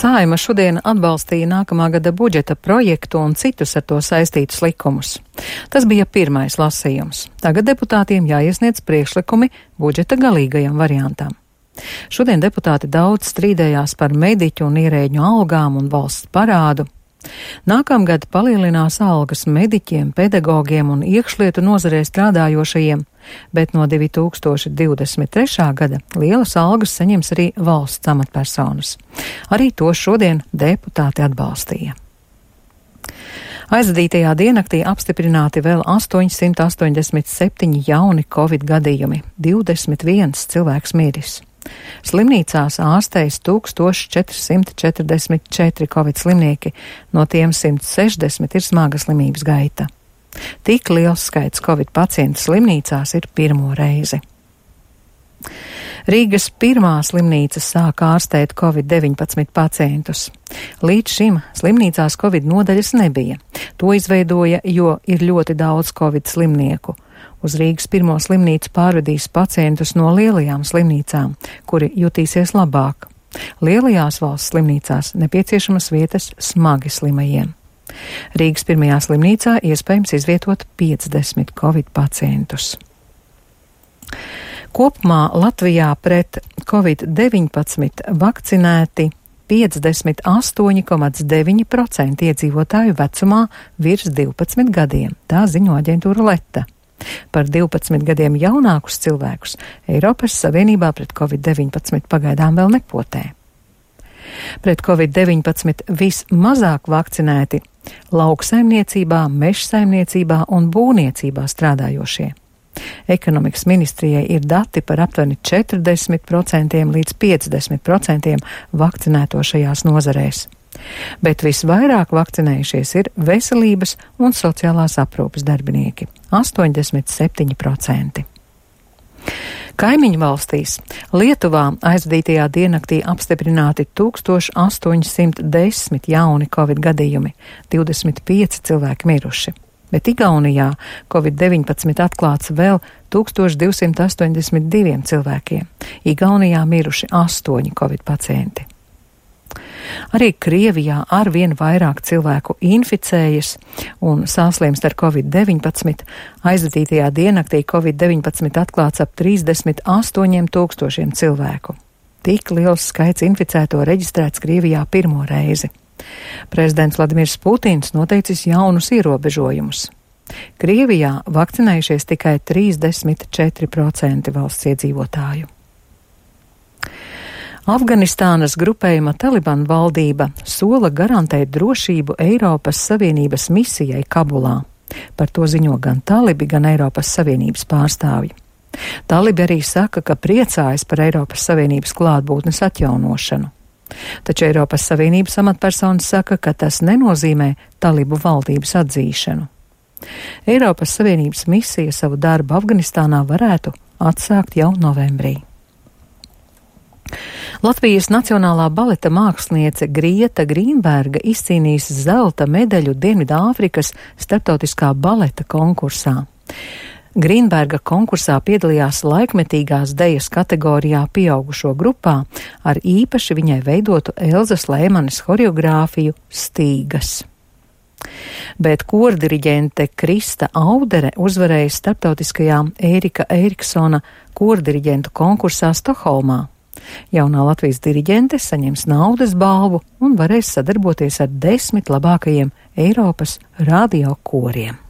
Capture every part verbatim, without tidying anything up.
Saeima šodien atbalstīja nākamā gada budžeta projektu un citus ar to saistītus likumus. Tas bija pirmais lasījums. Tagad deputātiem jāiesniedz priekšlikumi budžeta galīgajam variantam. Šodien deputāti daudz strīdējās par mediķu un ierēģu algām un valsts parādu. Nākamgad palielinās algas mediķiem, pedagogiem un iekšlietu nozarē strādājošajiem, bet no divi tūkstoši divdesmit trešā gada lielas algas saņems arī valsts amatpersonas. Arī to šodien deputāti atbalstīja. Aizvadītajā diennaktī apstiprināti vēl astoņsimt astoņdesmit septiņi jauni covid gadījumi, divdesmit viens cilvēks miris. Slimnīcās ārstējas tūkstoš četri simti četrdesmit četri covid slimnieki, no tiem simt sešdesmit ir smaga slimības gaita. Tik liels skaits covid pacientu slimnīcās ir pirmo reizi. Rīgas pirmā slimnīca sāk ārstēt covid deviņpadsmit pacientus. Līdz šim slimnīcās covid nodaļas nebija. To izveidoja, jo ir ļoti daudz covid slimnieku. Uz Rīgas pirmo slimnīcu pārvedīs pacientus no lielajām slimnīcām, kuri jutīsies labāk. Lielajās valsts slimnīcās nepieciešamas vietas smagi slimajiem. Rīgas pirmajā slimnīcā iespējams izvietot piecdesmit covid pacientus. Kopumā Latvijā pret covid deviņpadsmit vakcinēti piecdesmit astoņi komats deviņi procenti iedzīvotāju vecumā virs divpadsmit gadiem, tā ziņo aģentūra Leta. Par divpadsmit gadiem jaunākus cilvēkus Eiropas Savienībā pret covid deviņpadsmit pagaidām vēl nepotē. Pret covid deviņpadsmit vismazāk vakcinēti lauksaimniecībā, mežsaimniecībā un būvniecībā strādājošie. Ekonomikas ministrijai ir dati par aptuveni četrdesmit procentiem līdz piecdesmit procentiem vakcinēto šajās nozarēs. Bet visvairāk vakcinējušies ir veselības un sociālās aprūpes darbinieki – astoņdesmit septiņi procenti. Kaimiņu valstīs Lietuvā aizvadītajā diennaktī apstiprināti tūkstoš astoņsimt desmit jauni covid gadījumi, divdesmit pieci cilvēki miruši. Bet Igaunijā covid deviņpadsmit atklāts vēl tūkstoš divsimt astoņdesmit diviem cilvēkiem. Igaunijā miruši astoņi covid pacienti. Arī Krievijā arvien vairāk cilvēku inficējas un saslimst ar covid deviņpadsmit. Aizvadītajā diennaktī covid deviņpadsmit atklāts ap trīsdesmit astoņiem tūkstošiem cilvēku. Tik liels skaits inficēto reģistrēts Krievijā pirmo reizi. Prezidents Vladimirs Putins noteicis jaunus ierobežojumus. Krievijā vakcinējušies tikai trīsdesmit četri procenti valsts iedzīvotāju. Afganistānas grupējuma Taliban valdība sola garantēt drošību Eiropas Savienības misijai Kabulā. Par to ziņo gan talibi, gan Eiropas Savienības pārstāvji. Talibi arī saka, ka priecājas par Eiropas Savienības klātbūtnes atjaunošanu. Taču Eiropas Savienības amatpersonas saka, ka tas nenozīmē talibu valdības atzīšanu. Eiropas Savienības misija savu darbu Afganistānā varētu atsākt jau novembrī. Latvijas Nacionālā baleta māksliniece Grieta Grīnberga izcīnījis zelta medaļu Dienvidāfrikas starptautiskā baleta konkursā. Grīnberga konkursā piedalījās laikmetīgās dejas kategorijā pieaugušo grupā ar īpaši viņai veidotu Elzas Lēmanes horeogrāfiju Stīgas. Bet kordiriģente Krista Audere uzvarēja starptautiskajā Ērika Eriksona kordiriģentu konkursā Stokholmā. Jaunā Latvijas diriģente saņems naudas balvu un varēs sadarboties ar desmit labākajiem Eiropas radio koriem.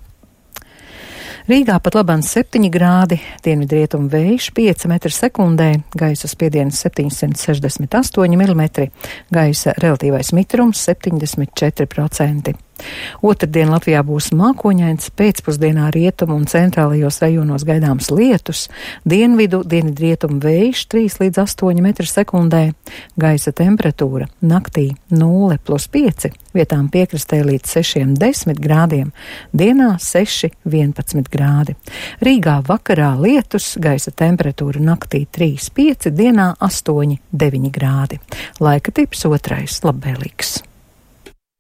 Rīgā pat labāk septiņi grādi, dienvidrietumu vējš pieci metri sekundē, gaisa spiediens septiņsimt sešdesmit astoņi milimetri, gaisa relatīvais mitrums septiņdesmit četri procenti. Otrdien Latvijā būs mākoņains, pēcpusdienā rietumu un centrālajos rajonos gaidāms lietus, dienvidu, dienvidrietumu vējš trīs līdz astoņi metri sekundē, gaisa temperatūra naktī nulle plus pieci, vietām piekrastē līdz sešiem desmit grādiem, dienā seši vienpadsmit grādi. Rīgā vakarā lietus, gaisa temperatūra naktī trīs pieci, dienā astoņi deviņi grādi. Laika tips otrais labvēlīgs.